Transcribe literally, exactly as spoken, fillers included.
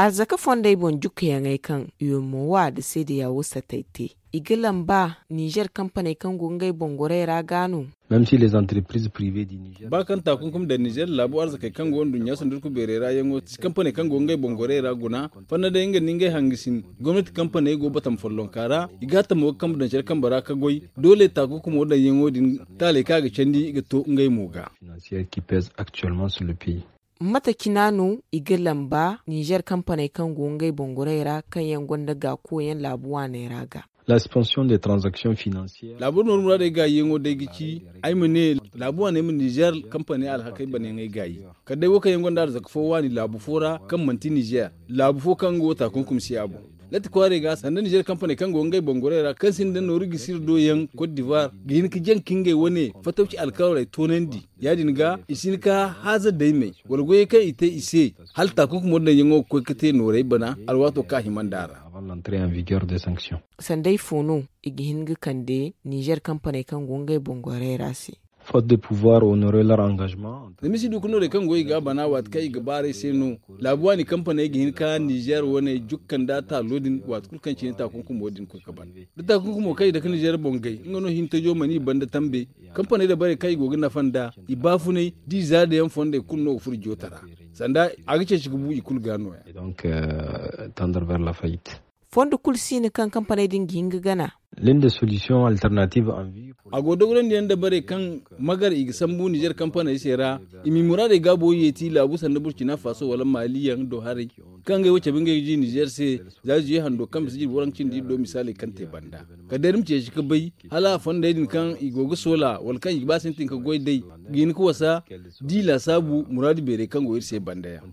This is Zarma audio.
Arzaka fondey boŋ jukkayaŋey kaŋ umo wa nda seedeya wo satay te, i ga lamba ninzeer kampaney kaŋ go ngey boŋ gorey ra ga no. Ba kaŋ taakunkum daŋ ninzeer laabu arzakey kaŋ go nduɲɲa sandirku beerey ra yaŋo si kampaney kaŋ go ngey boŋ gorey ra guna, fanda day nga nda ngey hangasin gomnati kampaney go batama follonka ra. I ga a tamo ga kambe daŋ care kambe ra ka goy. Doole taakunkumo daŋ yaŋo din taaley kaŋ a ga candi ga to ngey mo ga. Mate cina no i ga lamba ninzeer kampaney kaŋ go ngey boŋ gorey ra kaŋ yaŋ gonda gaakoyaŋ laabu waaney ra ga? Laabu nooru muraadey gaayiyaŋo day ga ci ay ma ne laabu waaney ma ninzeer kampaney alhakey banayaŋey gaayi. Kala day wo kaŋ yaŋ gonda arzaka fo waani laabu fo ra kaŋ manti ninzeer laabu fo kaŋ nga wo taakunkum si a boŋ. Latti kwaarey ga sanda ninzeer kampaney kaŋ go ngey boŋ gorey ra kaŋ sinda nooru ga sira do yaŋ kot divoir ga hin ga jaŋ ka ngey wane fatawci alkawaley toonandi. Ya- din ga i si hin ka haaza daymey wala goyey kaŋ i te i se hala taakunkumo daŋ yaŋo ga koy ga te noorey bana alwaato kaŋ a hima nd'a ra. Sanday fo no i ga hin ga kande ninzeer kampaney kaŋ go ngey boŋ gorey ra se? Zama i si du ga noorey kaŋ go i ga a bana waati kaŋ i ga baaray se no. Laabu waani kampaney ga hin ka ninzeer wane jukka nda taalo din waati kulu kaŋ cine taakunkumo din koy ga ban da taakunkumo kaŋ i dake ninzeer boŋ gay nga no hintajo mana i banda tambe. Kampaney dabarey kaŋ i go ga nafa nd'a i baafunay da i zaada yaŋ fondey kulu no ga furo joota ra. Sanda a ga ceeci ga bu i kulu ga nooya. Fondo kulu si no kaŋ kampaney din ga hin ga gana. A go dogorandi yaŋ dabarey kaŋ magar i ga sambu ninzeer kampaney se ra. I m'i muraadey gaabo yeeti laabu sanda burcina faso wala maali yaŋ do haray kaŋ ngey wo cabe ngey ga ji ninzeer se. Za zuye hando kaŋ bisa jirbi waranka cindi iri do misaaley kaŋ te banda kala day iri ma ceeci ga bay hala a fondey din kaŋ i go ga soola wala kaŋ i ga ba sintin ga goy day ga hin ga wasa da i laasaabu muraadu beerey kaŋ go iri se banda yaŋ.